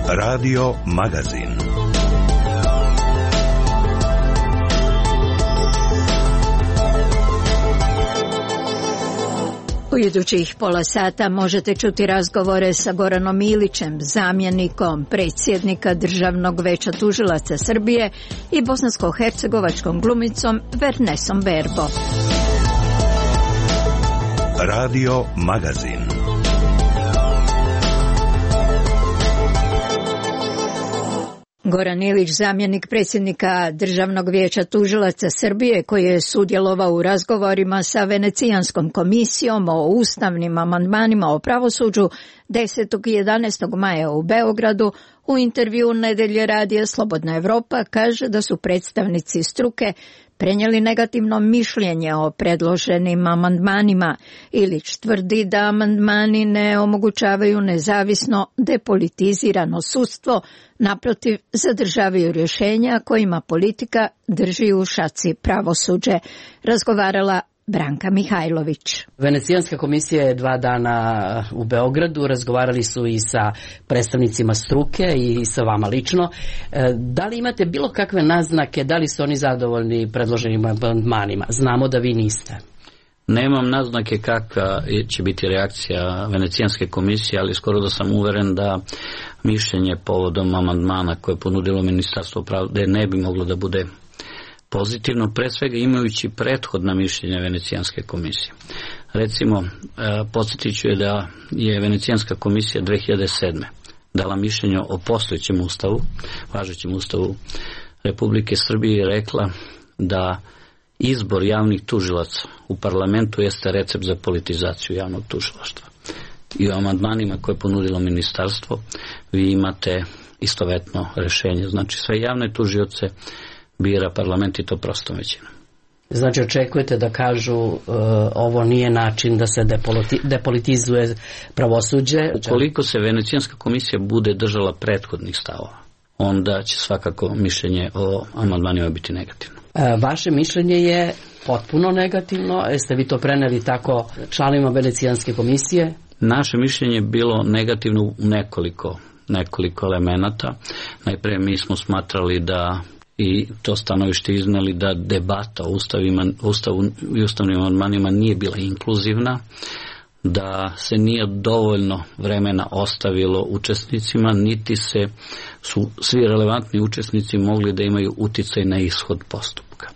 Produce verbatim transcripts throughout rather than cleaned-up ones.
Radio Magazin. U idućih pola sata možete čuti razgovore sa Goranom Ilićem, zamjenikom predsjednika Državnog veća tužilaca Srbije, i bosansko-hercegovačkom glumicom Vernesom Berbo. Radio Magazin. Goran Ilić, zamjenik predsjednika Državnog vijeća tužilaca Srbije, koji je sudjelovao u razgovorima sa Venecijanskom komisijom o ustavnim amandmanima o pravosuđu desetog i jedanaestog maja u Beogradu, u intervju Nedelje radija Slobodna Evropa kaže da su predstavnici struke prenijeli negativno mišljenje o predloženim amandmanima. Ilić tvrdi da amandmani ne omogućavaju nezavisno depolitizirano sudstvo, naprotiv zadržavaju rješenja kojima politika drži u šaci pravosuđe. Razgovarala Branka Mihajlović. Venecijanska komisija je dva dana u Beogradu, razgovarali su i sa predstavnicima struke i sa vama lično. Da li imate bilo kakve naznake, da li su oni zadovoljni predloženim amandmanima? Znamo da vi niste. Nemam naznake kakva će biti reakcija Venecijanske komisije, ali skoro da sam uveren da mišljenje povodom amandmana koje je ponudilo Ministarstvo pravde ne bi moglo da bude pozitivno, pre svega imajući prethodna mišljenja Venecijanske komisije. Recimo, podsjetit ću je da je Venecijanska komisija dve hiljade sedme dala mišljenje o postojećem ustavu, važećem ustavu Republike Srbije, i rekla da izbor javnih tužilaca u parlamentu jeste recept za politizaciju javnog tužilaštva. I u amandmanima koje je ponudilo ministarstvo vi imate istovetno rešenje. Znači, sve javne tužioce bira parlament, i to prostom većinom. Znači, očekujete da kažu uh, ovo nije način da se depoliti, depolitizuje pravosuđe? Ukoliko se Venecijanska komisija bude držala prethodnih stavova, onda će svakako mišljenje o amandmanima biti negativno. Uh, vaše mišljenje je potpuno negativno. Jeste vi to preneli tako članovima Venecijanske komisije? Naše mišljenje je bilo negativno u nekoliko, nekoliko elemenata. Najprije mi smo smatrali da, i to stanovište izneli, da debata o ustavima, ustavu i ustavnim amandmanima nije bila inkluzivna, da se nije dovoljno vremena ostavilo učesnicima, niti se su svi relevantni učesnici mogli da imaju uticaj na ishod postupka.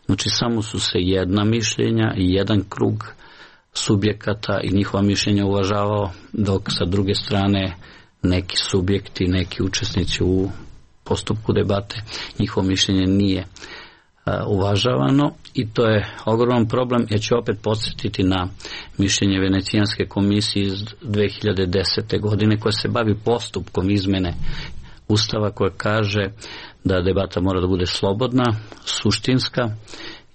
Znači, samo su se jedna mišljenja i jedan krug subjekata i njihova mišljenja uvažavao, dok sa druge strane neki subjekti, neki učesnici u postupku debate, njihovo mišljenje nije a, uvažavano, i to je ogroman problem. Ja ću opet podsjetiti na mišljenje Venecijanske komisije iz dve hiljade desete. godine, koja se bavi postupkom izmene Ustava, koja kaže da debata mora da bude slobodna, suštinska,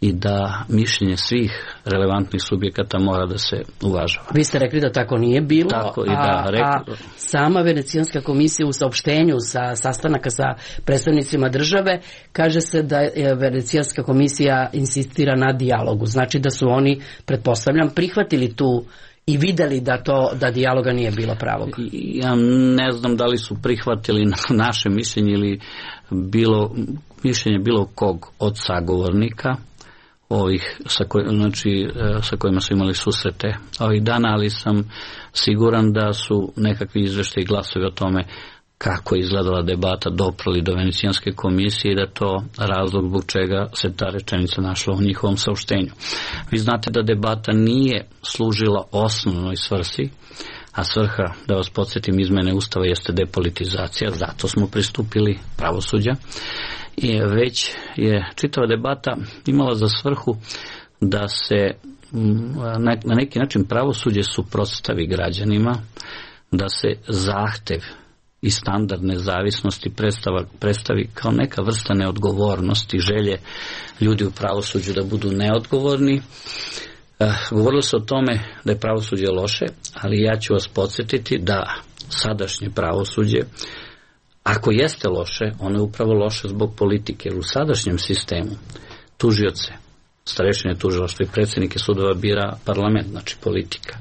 i da mišljenje svih relevantnih subjekata mora da se uvažava. Vi ste rekli da tako nije bilo, tako, i da, a, rekli... a sama Venecijanska komisija u saopštenju sa sastanaka sa predstavnicima države kaže se da je Venecijanska komisija insistira na dijalogu. Znači da su oni, pretpostavljam, prihvatili tu i videli da to da dijaloga nije bilo pravog. Ja ne znam da li su prihvatili naše mišljenje ili bilo mišljenje bilo kog od sagovornika ovih sa, koj, znači, sa kojima su imali susrete ovih dana, ali sam siguran da su nekakvi izveštaji i glasovi o tome kako je izgledala debata doprali do Venecijanske komisije i da to razlog zbog čega se ta rečenica našla u njihovom saopštenju. Vi znate da debata nije služila osnovnoj svrsi, a svrha, da vas podsjetim, izmene Ustava jeste depolitizacija, zato smo pristupili pravosuđa. I već je čitava debata imala za svrhu da se na neki način pravosuđe suprotstavi građanima, da se zahtev i standard nezavisnosti predstavi kao neka vrsta neodgovornosti, želje ljudi u pravosuđu da budu neodgovorni. Govorilo se o tome da je pravosuđe loše, ali ja ću vas podsjetiti da sadašnje pravosuđe, ako jeste loše, ono je upravo loše zbog politike. Jer u sadašnjem sistemu tužioce, starešine tužilaštva i predsjednike sudova bira parlament, znači politika.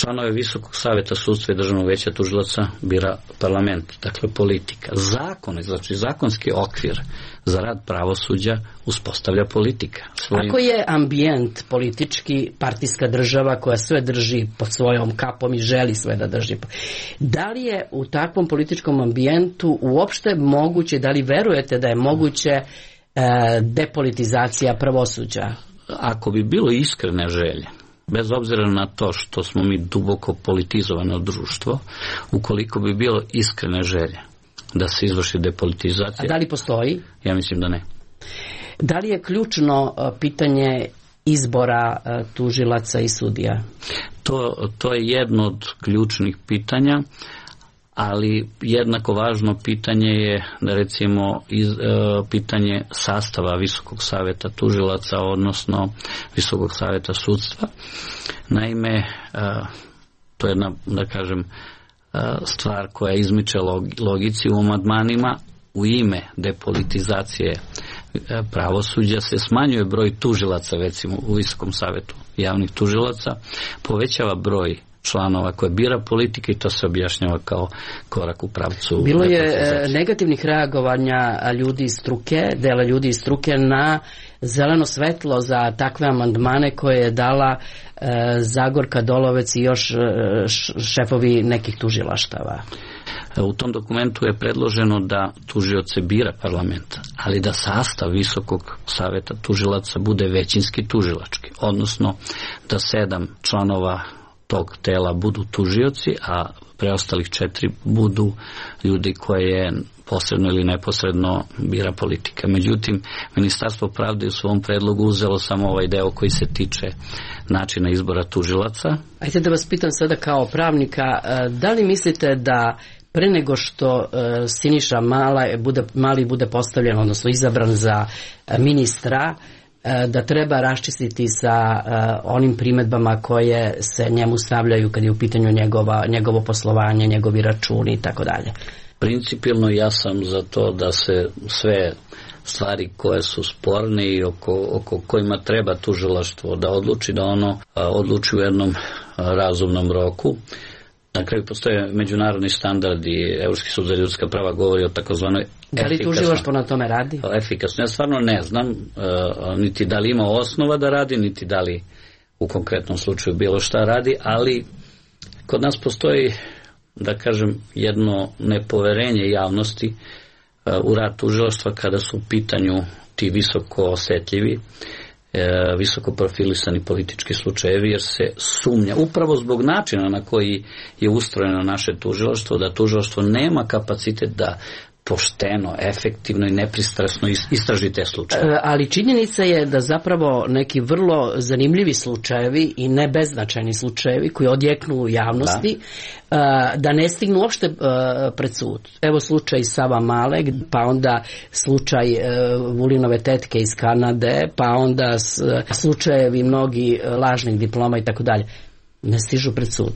Članove Visokog saveta sudstva i Državnog veća tužilaca bira parlament, dakle politika. Zakon, znači zakonski okvir za rad pravosuđa uspostavlja politika. Svojim... Ako je ambijent politički, partijska država koja sve drži pod svojom kapom i želi sve da drži, da li je u takvom političkom ambijentu uopšte moguće, da li verujete da je moguće e, depolitizacija pravosuđa? Ako bi bilo iskrene želje, bez obzira na to što smo mi duboko politizovano društvo, ukoliko bi bilo iskrene želje da se izvrši depolitizacija... A da li postoji? Ja mislim da ne. Da li je ključno pitanje izbora tužilaca i sudija? To, to je jedno od ključnih pitanja, ali jednako važno pitanje je, da recimo, iz, e, pitanje sastava Visokog saveta tužilaca, odnosno Visokog saveta sudstva. Naime, e, to je jedna, da kažem, e, stvar koja izmiče logici u amandmanima. U ime depolitizacije pravosuđa se smanjuje broj tužilaca, recimo u Visokom savetu javnih tužilaca, povećava broj članova koje bira politika i to se objašnjava kao korak u pravcu. Bilo je negativnih reagovanja ljudi iz struke, dela ljudi iz struke na zeleno svetlo za takve amandmane koje je dala e, Zagorka Dolovac i još e, šefovi nekih tužilaštava. U tom dokumentu je predloženo da tužioce bira parlament, ali da sastav Visokog saveta tužilaca bude većinski tužilački, odnosno da sedam članova tog tela budu tužioci, a preostalih četiri budu ljudi koje posredno ili neposredno bira politika. Međutim, Ministarstvo pravde u svom predlogu uzelo samo ovaj deo koji se tiče načina izbora tužilaca. Ajde da vas pitam sada kao pravnika, da li mislite da pre nego što Siniša Mala bude, Mali bude postavljen, odnosno izabran za ministra, da treba raščistiti sa uh, onim primedbama koje se njemu stavljaju kad je u pitanju njegova, njegovo poslovanje, njegovi računi i tako dalje. Principijelno ja sam za to da se sve stvari koje su sporne i oko, oko kojima treba tužilaštvo da odluči, da ono uh, odluči u jednom uh, razumnom roku. Na kraju postoje međunarodni standardi, Evropski sud za ljudska prava govori o takozvanoj efikasnosti. Da li tužilaštvo na tome radi? Efikasno. Ja stvarno ne znam, uh, niti da li ima osnova da radi, niti da li u konkretnom slučaju bilo šta radi, ali kod nas postoji, da kažem, jedno nepoverenje javnosti uh, u rad tužilaštva kada su u pitanju ti visoko osetljivi, visoko profilisani politički slučajevi, jer se sumnja upravo zbog načina na koji je ustrojeno naše tužilaštvo, da tužilaštvo nema kapacitet da pošteno, efektivno i nepristrasno istraži te slučaje. Ali činjenica je da zapravo neki vrlo zanimljivi slučajevi i ne beznačajni slučajevi koji odjeknu u javnosti, da, da ne stignu uopšte pred sud. Evo slučaj Sava Male, pa onda slučaj Vulinove tetke iz Kanade, pa onda slučajevi mnogi lažnih diploma i tako dalje. Ne stižu pred sud.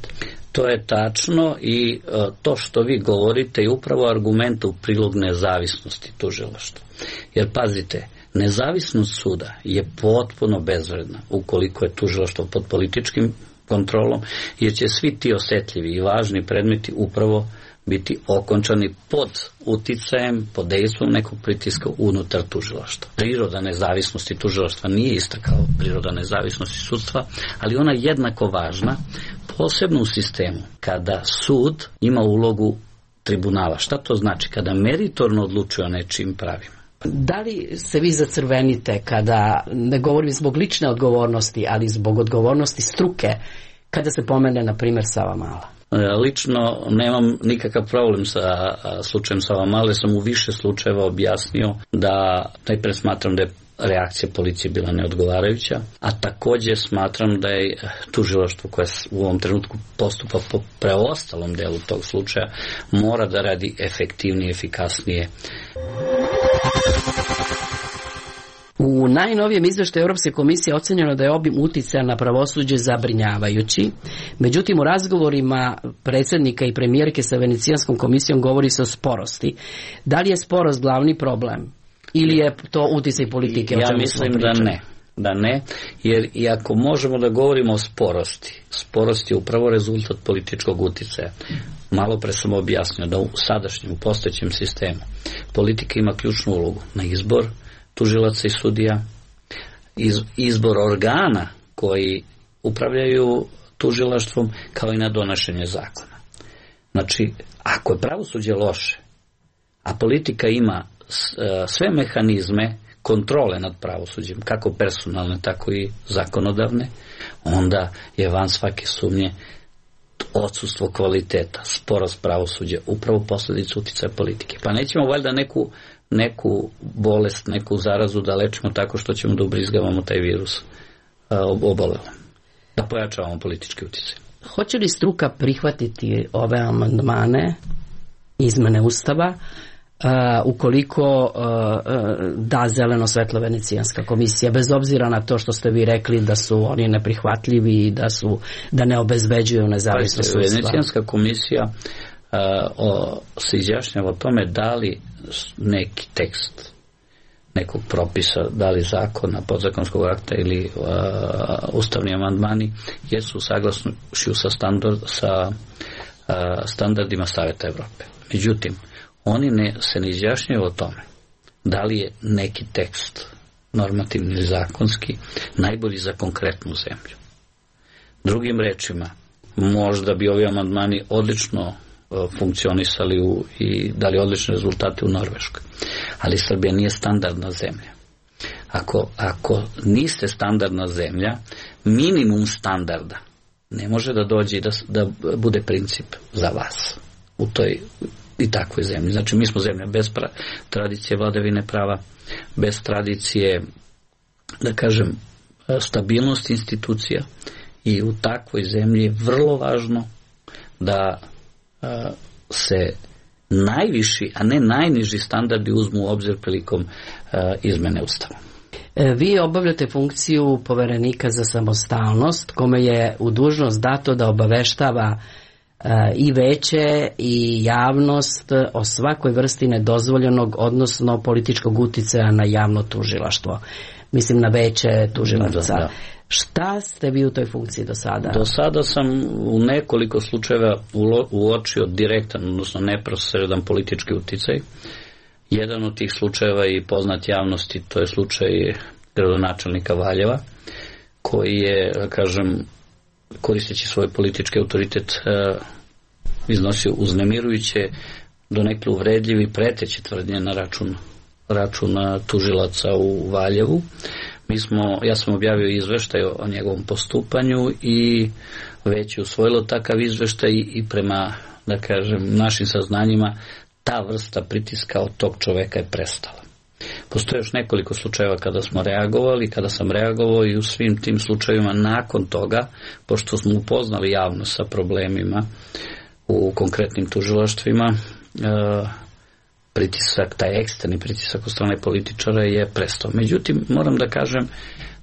To je tačno i uh, to što vi govorite je upravo argument u prilog nezavisnosti tužilaštva. Jer pazite, nezavisnost suda je potpuno bezvredna ukoliko je tužilaštvo pod političkim kontrolom, jer će svi ti osetljivi i važni predmeti upravo biti okončani pod uticajem, pod dejstvom nekog pritiska unutar tužilaštva. Priroda nezavisnosti tužilaštva nije ista kao priroda nezavisnosti sudstva, ali ona je jednako važna, posebno u sistemu kada sud ima ulogu tribunala. Šta to znači? Kada meritorno odlučuje o nečijim pravima. Da li se vi zacrvenite kada, ne govorim zbog lične odgovornosti, ali zbog odgovornosti struke, kada se pomene, na primjer, Sava Mala? Lično nemam nikakav problem sa slučajem Sava Male, sam u više slučajeva objasnio da najpre smatram da je reakcija policije bila neodgovarajuća, a također smatram da je tužilaštvo koje u ovom trenutku postupa po preostalom delu tog slučaja mora da radi efektivnije, efikasnije. U najnovijem izveštaju Europske komisije ocenjeno da je obim uticaja na pravosuđe zabrinjavajući. Međutim, u razgovorima predsjednika i premijerke sa Venecijanskom komisijom govori se o sporosti. Da li je sporost glavni problem? Ili je to uticaj politike? Ja mislim da ne. da ne, jer i ako možemo da govorimo o sporosti, sporost je upravo rezultat političkog uticaja. Malo pre sam objasnio da u sadašnjem, u postojećem sistemu politika ima ključnu ulogu na izbor tužilaca i sudija, iz, izbor organa koji upravljaju tužilaštvom, kao i na donošenje zakona. Znači, ako je pravosuđe loše, a politika ima sve mehanizme kontrole nad pravosuđem, kako personalne, tako i zakonodavne, onda je van svake sumnje odsustvo kvaliteta, sporost pravosuđa, upravo posljedica uticaja politike. Pa nećemo valjda neku, neku bolest, neku zarazu da lečimo tako što ćemo da ubrizgavamo taj virus obolelom, da pojačavamo politički uticaj. Hoće li struka prihvatiti ove amandmane, izmene Ustava, Uh, ukoliko uh, uh, da zeleno svetlo Venecijanska komisija, bez obzira na to što ste vi rekli da su oni neprihvatljivi i da su da ne obezbeđuju nezavisnost sudstva? Venecijanska komisija uh, o, se izjašnjava o tome da li neki tekst nekog propisa, da li zakona, podzakonskog akta ili uh, ustavni amandmani jesu saglasni sa, standard, sa uh, standardima Saveta Evrope. Međutim, oni ne, se ne izjašnjaju o tome da li je neki tekst normativni ili zakonski najbolji za konkretnu zemlju. Drugim rečima, možda bi ovi amandmani odlično uh, funkcionisali u, i dali odlične rezultate u Norveškoj, ali Srbija nije standardna zemlja. Ako, ako niste standardna zemlja, minimum standarda ne može da dođe i da, da bude princip za vas u toj i takvoj zemlji. Znači, mi smo zemlja bez pra, tradicije vladavine prava, bez tradicije, da kažem, stabilnosti institucija, i u takvoj zemlji je vrlo važno da a, se najviši, a ne najniži standardi uzmu u obzir prilikom a, izmene Ustava. Vi obavljate funkciju poverenika za samostalnost, kome je u dužnost dato da obaveštava i veće i javnost o svakoj vrsti nedozvoljenog, odnosno političkog uticaja na javno tužilaštvo. Mislim na veće tužilaca. Da, da. Šta ste vi u toj funkciji do sada? Do sada sam u nekoliko slučajeva uočio direktan, odnosno neposredan politički uticaj. Jedan od tih slučajeva i poznat javnosti, to je slučaj gradonačelnika Valjeva, koji je, kažem, koristeći svoj politički autoritet uh, iznosio uznemirujuće, donekle uvredljivi i preteće tvrdnje na račun, račun tužilaca u Valjevu. Mi smo, ja sam objavio izveštaj o, o njegovom postupanju i već je usvojilo takav izveštaj i prema, da kažem, našim saznanjima ta vrsta pritiska od tog čoveka je prestala. Postoje još nekoliko slučajeva kada smo reagovali, kada sam reagovao i u svim tim slučajevima nakon toga, pošto smo upoznali javnost sa problemima u konkretnim tužilaštvima, pritisak, taj eksterni pritisak od strane političara je prestao. Međutim, moram da kažem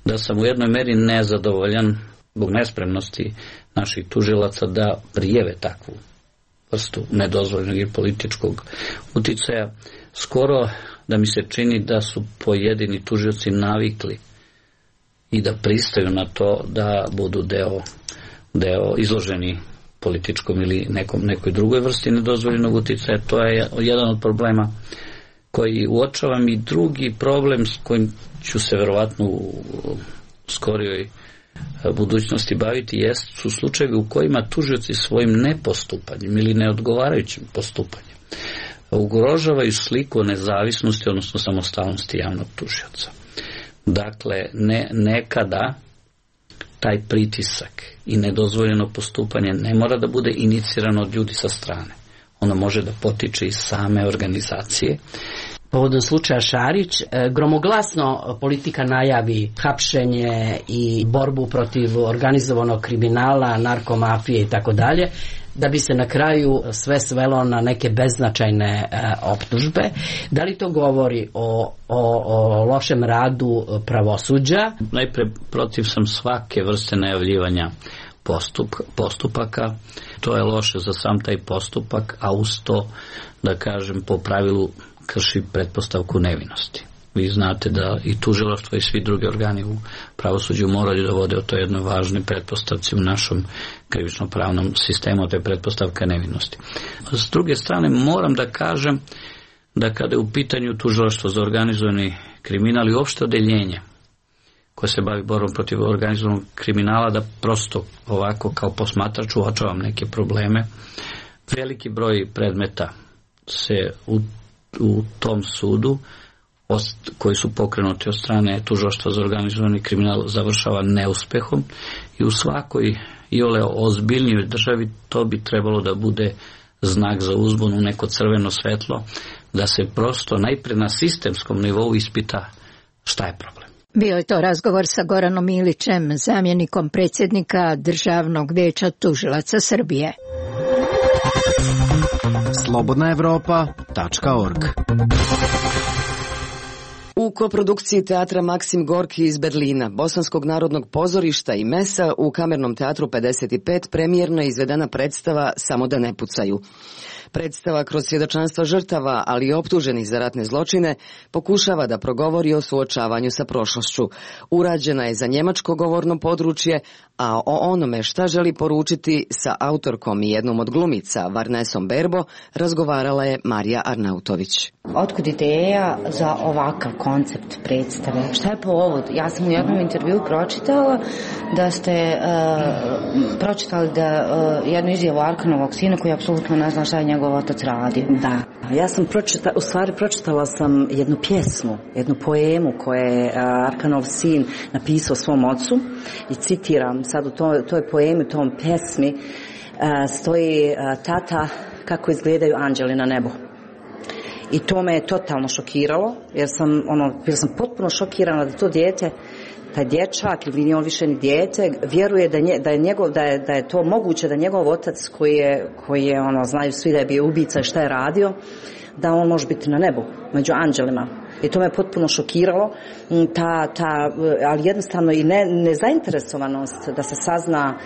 da sam u jednoj meri nezadovoljan zbog nespremnosti naših tužilaca da prijeve takvu vrstu nedozvoljenog i političkog uticaja. Skoro da mi se čini da su pojedini tužioci navikli i da pristaju na to da budu deo, deo izloženi političkom ili nekom, nekoj drugoj vrsti nedozvoljenog uticaja. To je jedan od problema koji uočavam, i drugi problem s kojim ću se verovatno u skorijoj budućnosti baviti jest, su slučajevi u kojima tužioci svojim nepostupanjem ili neodgovarajućim postupanjem ugrožavaju sliku o nezavisnosti, odnosno samostalnosti javnog tužioca. Dakle, ne, nekada taj pritisak i nedozvoljeno postupanje ne mora da bude inicirano od ljudi sa strane. Ono može da potiče iz same organizacije. Povodom slučaja Šarić, gromoglasno politika najavi hapšenje i borbu protiv organizovanog kriminala, narkomafije i tako dalje, da bi se na kraju sve svelo na neke beznačajne e, optužbe. Da li to govori o, o, o lošem radu pravosuđa? Najpre, protiv sam svake vrste najavljivanja postup, postupaka. To je loše za sam taj postupak, a uz to, da kažem, po pravilu krši pretpostavku nevinosti. vi znate da i tužilaštvo i svi drugi organi u pravosuđu moraju da vode o toj jednoj važnoj pretpostavci u našom krivično-pravnom sistemu, to je pretpostavka nevinosti. S druge strane, moram da kažem da kada je u pitanju tužilaštvo za organizovani kriminal i uopšte odeljenje koje se bavi borbom protiv organizovanog kriminala, da prosto ovako kao posmatrač uočavam neke probleme. Veliki broj predmeta se u, u tom sudu koji su pokrenuti od strane tužilaštva za organizovani kriminal završava neuspehom i u svakoj iole ozbiljnijoj državi to bi trebalo da bude znak za uzbunu, neko crveno svetlo, da se prosto najpre na sistemskom nivou ispita šta je problem. Bio je to razgovor sa Goranom Ilićem, zamjenikom predsjednika Državnog vijeća tužilaca Srbije. slobodna evropa tačka org. U koprodukciji teatra Maksim Gorki iz Berlina, Bosanskog narodnog pozorišta i Mesa u Kamernom teatru pedeset pet premijerno je izvedena predstava Samo da ne pucaju. Predstava kroz svjedočanstva žrtava, ali i optuženih za ratne zločine, pokušava da progovori o suočavanju sa prošlošću. Urađena je za njemačko govorno područje, a o onome šta želi poručiti sa autorkom i jednom od glumica, Varnesom Berbo, razgovarala je Marija Arnautović. Otkud ideja za ovakav koncept predstave? Šta je povod? Ja sam u jednom intervju pročitala da ste uh, pročitali da uh, jednu izjavu Arkanovog sina koji apsolutno ne zna šta je njegov otac radio. Da, ja sam pročitala, u stvari pročitala sam jednu pjesmu, jednu poemu koju je Arkanov sin napisao svom ocu i citiram sad u to, toj poemi, u tom pjesmi uh, stoji uh, tata kako izgledaju anđeli na nebu. I to me je totalno šokiralo, jer sam, ono, bila sam potpuno šokirana da to dijete, taj dječak, ili nije on više ni dijete, vjeruje da, nje, da, je njegov, da, je, da je to moguće da njegov otac koji je, koji je ono, znaju svi da je bio ubica i šta je radio, da on može biti na nebu, među anđelima. I to me potpuno šokiralo, ta, ta, ali jednostavno i ne, nezainteresovanost da se sazna,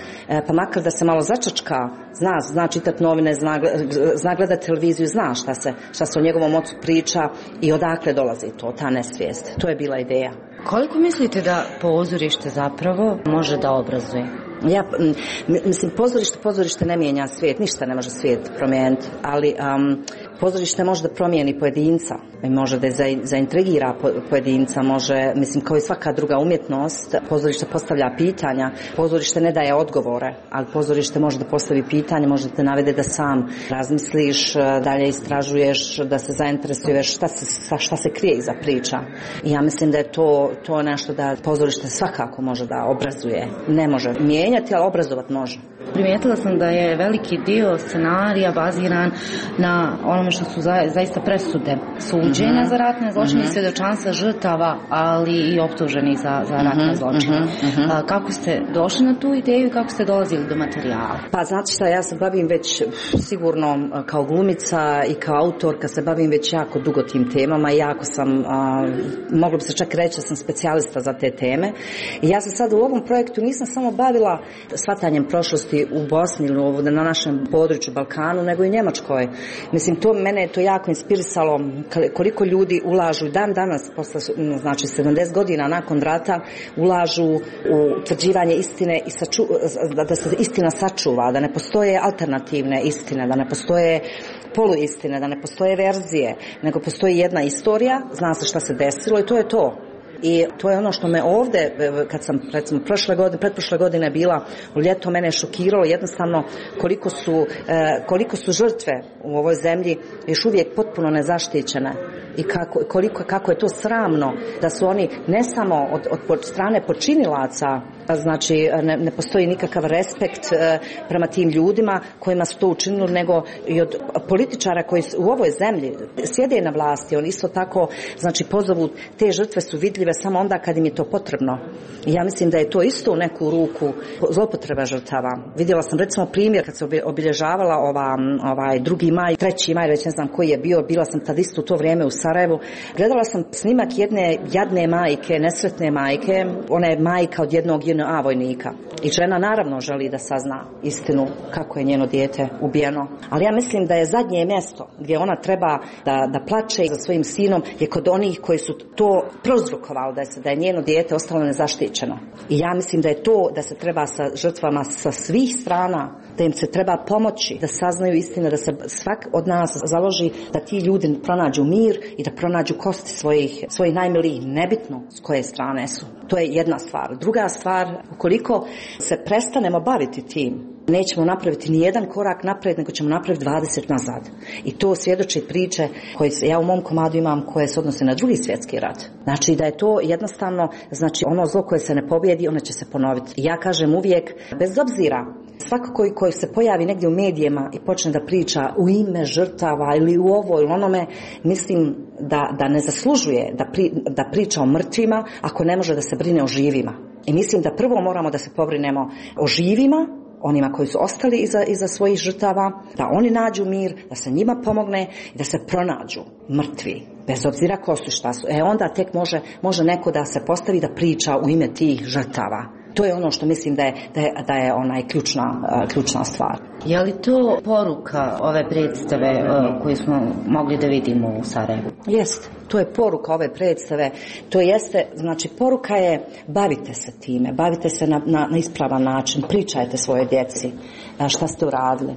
pa makar da se malo začačka, zna, zna čitati novine, zna, zna gledati televiziju, zna šta se, šta se o njegovom ocu priča i odakle dolazi to, ta nesvijest. To je bila ideja. Koliko mislite da pozorište zapravo može da obrazuje? Ja, mislim, pozorište, pozorište ne mijenja svijet, ništa ne može svijet promijeniti, ali um, pozorište može da promijeni pojedinca, može da zaintrigira pojedinca, može, mislim, kao i svaka druga umjetnost, pozorište postavlja pitanja, pozorište ne daje odgovore, ali pozorište može da postavi pitanje, može da te navede da sam razmisliš, dalje istražuješ, da se zainteresuješ šta se, šta se krije iza priča. I ja mislim da je to, to nešto da pozorište svakako može da obrazuje, ne može mijenjati, ali obrazovat može. Primijetila sam da je veliki dio scenarija baziran na onome što su za, zaista presude suđenja mm-hmm. za ratne zločine, mm-hmm. svjedočanstva žrtava, ali i optuženih za, za ratne mm-hmm. zločine. Mm-hmm. A, kako ste došli na tu ideju i kako ste dolazili do materijala? Pa znate šta, ja se bavim već sigurno kao glumica i kao autorka se bavim već jako dugo tim temama i jako sam, a, moglo bi se čak reći da sam specijalista za te teme. I ja se sad u ovom projektu nisam samo bavila shvatanjem prošlosti u Bosni ili na našem području Balkanu, nego i Njemačkoj. Mislim, to mene je to jako inspirisalo koliko ljudi ulažu dan danas, posle, znači sedamdeset godina nakon rata, ulažu u utvrđivanje istine i saču, da se istina sačuva, da ne postoje alternativne istine, da ne postoje poluistine, da ne postoje verzije, nego postoji jedna istorija, zna se šta se desilo i to je to. I to je ono što me ovdje, kad sam recimo prošle godine, pretprošle godine bila u ljeto, mene je šokiralo jednostavno koliko su, koliko su žrtve u ovoj zemlji još uvijek potpuno nezaštićene i kako, koliko, kako je to sramno da su oni ne samo od, od strane počinilaca, znači ne, ne postoji nikakav respekt prema tim ljudima kojima su to učinili, nego i od političara koji u ovoj zemlji sjede na vlasti, oni isto tako, znači pozovu, te žrtve su vidljive samo onda kad im je to potrebno. I ja mislim da je to isto u neku ruku zloupotreba žrtava. Vidjela sam recimo primjer kad se obilježavala ova, ovaj drugi maj, treći maj, već ne znam koji je bio, bila sam tad isto u to vrijeme u Sarajevu. Gledala sam snimak jedne jadne majke, nesretne majke, ona je majka od jednog J N A vojnika. I žena naravno želi da sazna istinu kako je njeno dijete ubijeno. Ali ja mislim da je zadnje mjesto gdje ona treba da, da plače za svojim sinom je kod onih koji su to prouzrokovali da je, da je njeno dijete ostalo nezaštićeno. I ja mislim da je to da se treba sa žrtvama sa svih strana, da im se treba pomoći, da saznaju istinu, da se svak od nas založi da ti ljudi pronađu mir i da pronađu kosti svojih, svojih najmilijih, nebitno s koje strane su. To je jedna stvar. Druga stvar, ukoliko se prestanemo baviti tim, nećemo napraviti ni jedan korak naprijed, nego ćemo napraviti dvadeset nazad. I to svjedoči priče koje ja u mom komadu imam koje se odnose na drugi svjetski rat. Znači da je to jednostavno, znači ono zlo koje se ne pobjedi, ono će se ponoviti. I ja kažem uvijek, bez obzira, svako koji, koji se pojavi negdje u medijima i počne da priča u ime žrtava ili u ovo ili onome, mislim da, da ne zaslužuje da, pri, da priča o mrtvima ako ne može da se brine o živima. I mislim da prvo moramo da se pobrinemo o živima, onima koji su ostali iza, iza svojih žrtava, da oni nađu mir, da se njima pomogne i da se pronađu mrtvi, bez obzira ko su, šta su. E onda tek može, može neko da se postavi da priča u ime tih žrtava. To je ono što mislim da je, da je, da je onaj ključna, ključna stvar. Je li to poruka ove predstave koju smo mogli da vidimo u Sarajevu? Jeste, to je poruka ove predstave. To jeste, znači poruka je bavite se time, bavite se na, na, na ispravan način, pričajte svoje djeci šta ste uradili,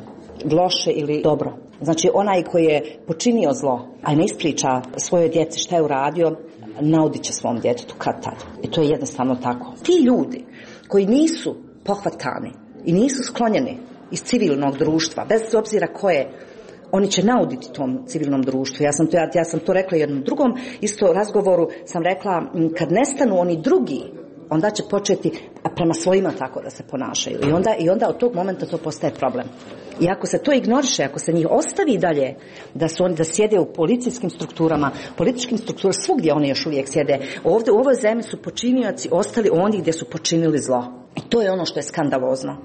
loše ili dobro. Znači onaj koji je počinio zlo, a ne ispriča svojoj djeci šta je uradio, naudit će svom djetetu kad tad. I to je jednostavno tako. Ti ljudi koji nisu pohvatani i nisu sklonjeni iz civilnog društva, bez obzira koje, oni će nauditi tom civilnom društvu. Ja sam to, ja, ja sam to rekla jednom drugom isto razgovoru, sam rekla kad nestanu oni drugi, onda će početi prema svojima tako da se ponašaju. I onda, i onda od tog momenta to postaje problem. I ako se to ignoriše, ako se njih ostavi dalje, da su oni da sjede u policijskim strukturama, političkim strukturama, svugdje oni još uvijek sjede. Ovdje u ovoj zemlji su počinioci ostali ondje gdje su počinili zlo. I to je ono što je skandalozno.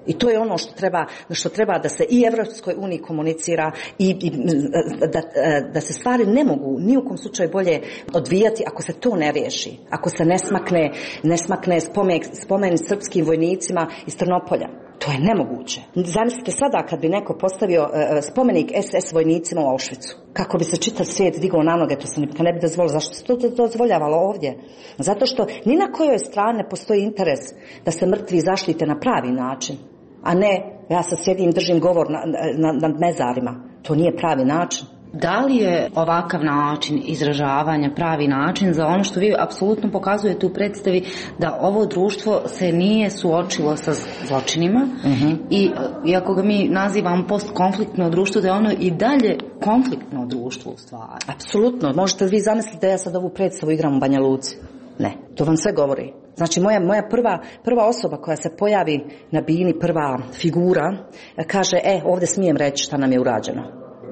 I to je ono što treba, što treba da se i Evropskoj uniji komunicira i, i da, da se stvari ne mogu ni u kom slučaju bolje odvijati ako se to ne riješi. Ako se ne smakne, ne smakne spomen, spomen srpskim vojnicima iz Trnopolja. To je nemoguće. Zamislite sada kad bi neko postavio spomenik S S vojnicima u Auschwitzu. Kako bi se čitav svijet digao na noge, to se nikad ne bi dozvolilo. Zašto se to dozvoljavalo ovdje? Zato što ni na kojoj strani ne postoji interes da se mrtvi zaštite na pravi način. A ne, ja sad sjedim, držim govor nad na, na mezarima. To nije pravi način. Da li je ovakav način izražavanja pravi način za ono što vi apsolutno pokazujete u predstavi, da ovo društvo se nije suočilo sa zločinima uh-huh. i iako ga mi nazivamo postkonfliktno društvo, da je ono i dalje konfliktno društvo u stvari? Apsolutno. Možete vi zamisliti da ja sad ovu predstavu igram u Banja Luci? Ne, to vam sve govori. Znači moja, moja prva, prva osoba koja se pojavi na bini, prva figura, kaže, e, ovdje smijem reći šta nam je urađeno.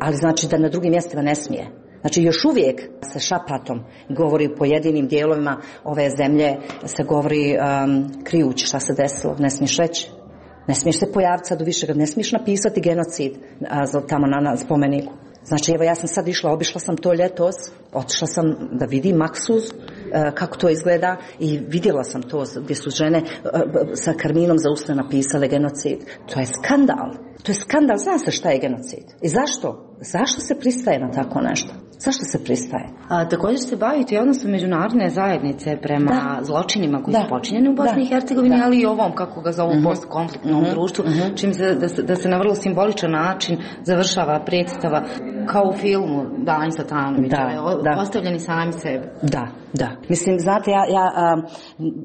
Ali znači da na drugim mjestima ne smije. Znači još uvijek se šapatom govori u pojedinim dijelovima ove zemlje, se govori um, krijući šta se desilo, ne smiješ reći. Ne smiješ se pojaviti sad u višega, ne smiješ napisati genocid a, tamo na, na spomeniku. Znači evo ja sam sad išla, obišla sam to ljetos, otišla sam da vidim Maksuz, kako to izgleda i vidjela sam to gdje su žene sa karminom za usne napisale genocid. To je skandal. To je skandal. Zna se šta je genocid. I zašto? Zašto se pristaje na tako nešto? Zašto se pristaje? A, također se bavite i odnosom međunarodne zajednice prema da. zločinima koji da. su počinjeni u Bosni i Hercegovini, ali i ovom, kako ga zovu, uh-huh. postkonfliktnom uh-huh. društvu, uh-huh. čim se da, se da se na vrlo simboličan način završava predstava kao u filmu Dani Satanovića, da, da. postavljeni sami sebe. Da, da. Mislim, znate, ja, ja a,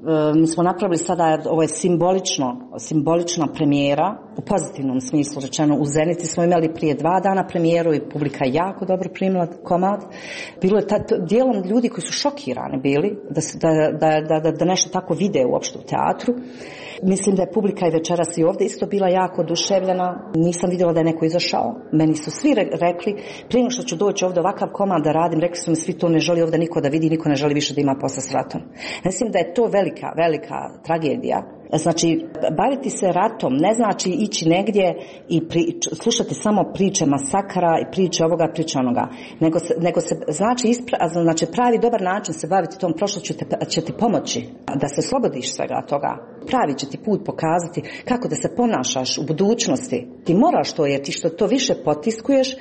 a, mi smo napravili sada, ovo je simbolično, simbolična premijera, u pozitivnom smislu rečeno, u Zenici smo imali prije dva dana premijeru i publika je jako dobro primila komad. Bilo je ta, dijelom ljudi koji su šokirani bili da, da, da, da, da nešto tako vide uopšte u teatru. Mislim da je publika i večeras i ovdje isto bila jako oduševljena. Nisam vidjela da je neko izašao. Meni su svi rekli, prije nego što ću doći ovdje ovakav komad da radim, rekli su mi svi to ne želi ovdje niko da vidi, niko ne želi više da ima posla s ratom. Mislim da je to velika, velika tragedija Znači, baviti se ratom ne znači ići negdje i pri, slušati samo priče masakara i priče ovoga, priče onoga. Nego se, nego se znači, ispra, znači pravi dobar način se baviti tom prošlošću će ti pomoći da se oslobodiš svega toga. Pravi će ti put pokazati kako da se ponašaš u budućnosti. Ti moraš to, jer ti što to više potiskuješ,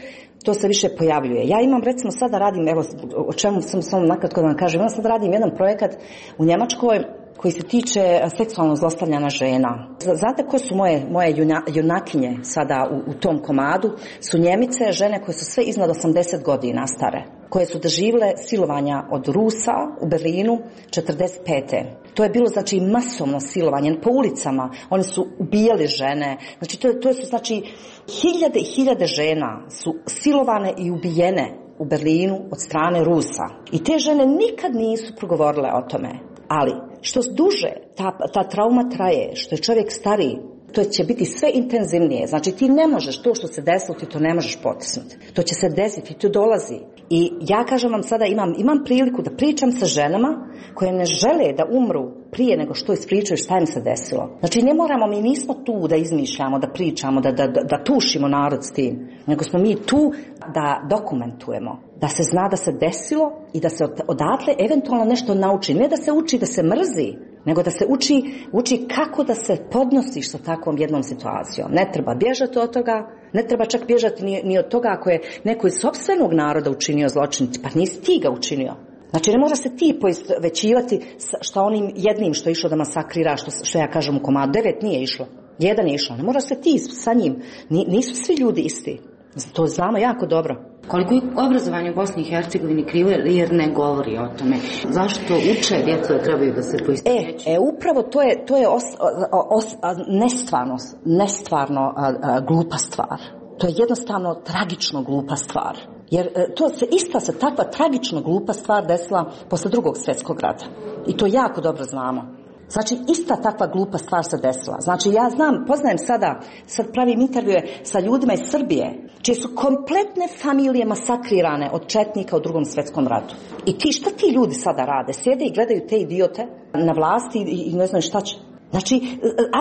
to se više pojavljuje. Ja imam, recimo, sada radim, evo, o čemu sam samo nakratko da vam kažem, ja sad radim jedan projekat u Njemačkoj koji se tiče seksualnog zlostavljanja žena. Znate ko su moje, moje junakinje sada u, u tom komadu? Su Njemice, žene koje su sve iznad osamdeset godina stare, koje su doživjele silovanja od Rusa u Berlinu četrdeset pete. To je bilo, znači, masovno silovanje po ulicama. Oni su ubijali žene. Znači, to, to su, znači, hiljade i hiljade žena su silovane i ubijene u Berlinu od strane Rusa. I te žene nikad nisu progovorile o tome. Ali, što duže ta, ta trauma traje, što je čovjek stariji, to će biti sve intenzivnije. Znači, ti ne možeš to što se desilo, ti to ne možeš potisnuti. To će se desiti, to dolazi. I ja kažem vam sada, imam, imam priliku da pričam sa ženama koje ne žele da umru prije nego što ispričaju šta im se desilo. Znači, ne moramo, mi nismo tu da izmišljamo, da pričamo, da, da, da tušimo narod s tim. Nego smo mi tu da dokumentujemo. Da se zna da se desilo i da se odatle eventualno nešto nauči. Ne da se uči da se mrzi, nego da se uči, uči kako da se podnosiš sa takvom jednom situacijom. Ne treba bježati od toga, ne treba čak bježati ni, ni od toga ako je neko iz sopstvenog naroda učinio zločin, pa nisi ti ga učinio. Znači, ne mora se ti poistovjećivati šta onim jednim što je išlo da masakrira, što, što ja kažem u komadu. Devet nije išlo, jedan je išlo. Ne mora se ti sa njim, nisu svi ljudi isti. To znamo jako dobro. Koliko je obrazovanje u Bosni i Hercegovini krivo jer ne govori o tome? Zašto uče djecu da trebaju da se poistovjećuju? E, e, upravo to je, to je os, os, nestvarno, nestvarno a, a, glupa stvar. To je jednostavno tragično glupa stvar. Jer to se ista se takva tragično glupa stvar desila posle drugog svjetskog rata. I to jako dobro znamo. Znači, ista takva glupa stvar se desila. Znači, ja znam, poznajem sada, sad pravim intervjue sa ljudima iz Srbije, čije su kompletne familije masakrirane od četnika u drugom svjetskom ratu. I ti, šta ti ljudi sada rade? Sjede i gledaju te idiote na vlasti i, i ne znaju šta će. Znači,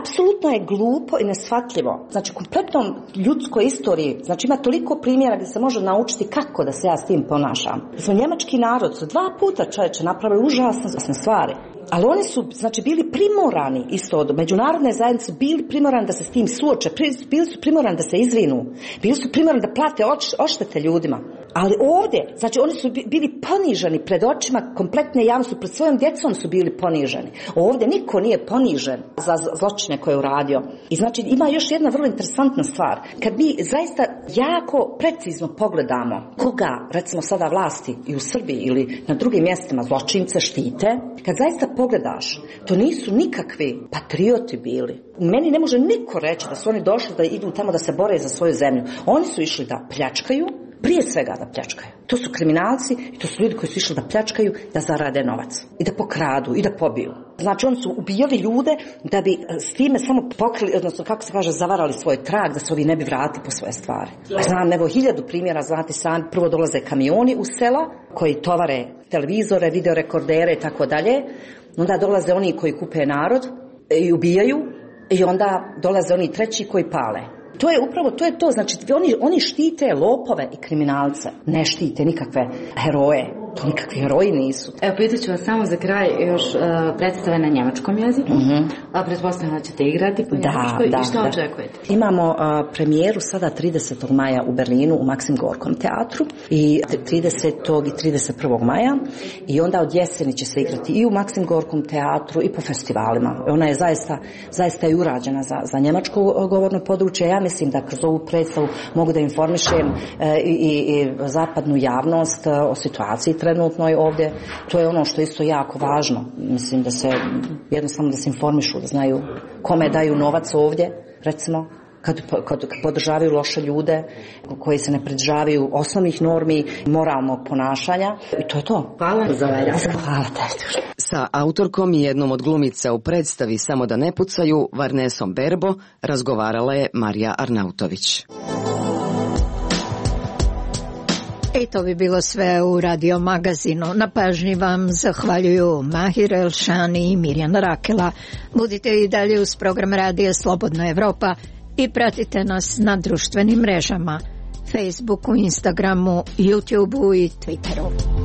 apsolutno je glupo i neshvatljivo. Znači, kompletnom ljudskoj istoriji, znači ima toliko primjera gdje se može naučiti kako da se ja s tim ponašam. Smo njemački narod, su dva puta čovječe napravili užasne stvari. Ali oni su, znači, bili primorani isto od međunarodne zajednice, bili primorani da se s tim suoče, bili su primorani da se izvinu, bili su primorani da plate odštete ljudima. Ali ovdje, znači, oni su bili poniženi pred očima kompletne javnosti, pred svojom djecom su bili poniženi. Ovdje niko nije ponižen za zločine koje je uradio. I znači, ima još jedna vrlo interesantna stvar. Kad mi zaista jako precizno pogledamo koga, recimo sada vlasti i u Srbiji ili na drugim mjestima zločince štite, kad zaista pogledaš, to nisu nikakvi patrioti bili. Meni ne može niko reći da su oni došli da idu tamo da se bore za svoju zemlju. Oni su išli da pljačkaju, prije svega da pljačkaju. To su kriminalci i to su ljudi koji su išli da pljačkaju, da zarade novac i da pokradu i da pobiju. Znači, oni su ubijali ljude da bi s time samo pokrili, odnosno kako se kaže, zavarali svoj trag, da se ovi ne bi vratili po svoje stvari. Znam, evo hiljadu primjera, znate sami, prvo dolaze kamioni u sela koji tovare televizore, videorekordere i tako dalje. Onda dolaze oni koji kupe narod i ubijaju i onda dolaze oni treći koji pale. To je upravo, to je to, znači oni, oni štite lopove i kriminalce, ne štite nikakve heroje, to nikakvi heroji nisu. Evo, pitat ću vas samo za kraj još uh, predstave na njemačkom jeziku, uh-huh. a pretpostavljam da ćete igrati po njemačkoj, da, i što da. očekujete? Imamo uh, premijeru sada tridesetog maja u Berlinu u Maksim Gorkom teatru i tridesetog i trideset prvog maja i onda od jeseni će se igrati i u Maksim Gorkom teatru i po festivalima. Ona je zaista, zaista je urađena za, za njemačko govorno područje. Ja mislim da kroz ovu predstavu mogu da informišem uh, i, i, i zapadnu javnost uh, o situaciji trenutno je ovdje. To je ono što je isto jako važno. Mislim da se jednostavno da se informišu, da znaju kome daju novac ovdje, recimo, kad, kad podržavaju loše ljude koji se ne pridržavaju osnovnih normi moralnog ponašanja. I to je to. Hvala za ovaj razgovor. Hvala te. Sa autorkom i jednom od glumica u predstavi Samo da ne pucaju, Varnesom Berbo, razgovarala je Marija Arnautović. I to bi bilo sve u Radio Magazinu. Na pažnji vam zahvaljuju Mahir Elšani i Mirjana Rakela. Budite i dalje uz program Radija Slobodna Evropa i pratite nas na društvenim mrežama, Facebooku, Instagramu, YouTubeu i Twitteru.